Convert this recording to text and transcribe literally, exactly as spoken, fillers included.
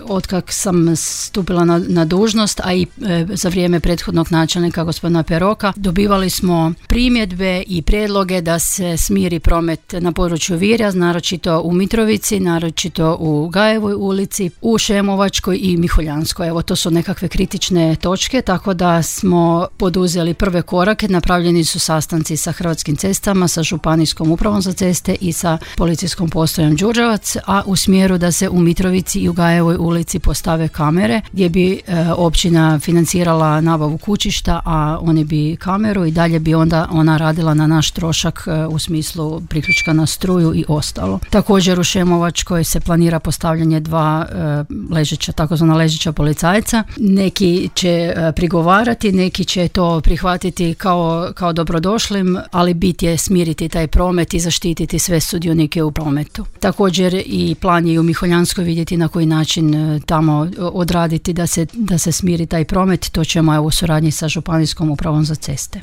otkak sam stupila na, na dužnost, a i e, za vrijeme prethodnog načelnika gospodina Peroka, dobivali smo primjedbe i prijedloge da se smiri promet na području Virja, naročito u Mitrovici, naročito u Gajevoj ulici, u Šemovačkoj i Miholjanskoj. Evo, to su nekakve kritične točke, tako da smo poduzeli prve korake. Napravljeni su sastanci sa Hrvatskim cestama, sa Županijskom upravom za ceste i sa policijskom postojom Đurđevac, a u smjeru da se u Mitrovici i u Gajevoj ulici postave kamere gdje bi e, općina financirala nabavu kućišta, a oni bi kameru i dalje bi onda ona radila na naš trošak e, u smislu priključka na struju i ostalo. Također u Šemovačkoj se planira postavljanje dva e, ležeća, takozvana ležeća policajca. Neki će e, prigovarati, neki će to prihvatiti kao, kao dobrodošlim, ali bit je smiriti taj promet i zaštititi sve sudionike u prometu. Također i plan je i u Miholjanskoj vidjeti na koji način e, tamo odraditi da se, da se smiri taj promet. To ćemo evo u suradnji sa Županijskom upravom za ceste.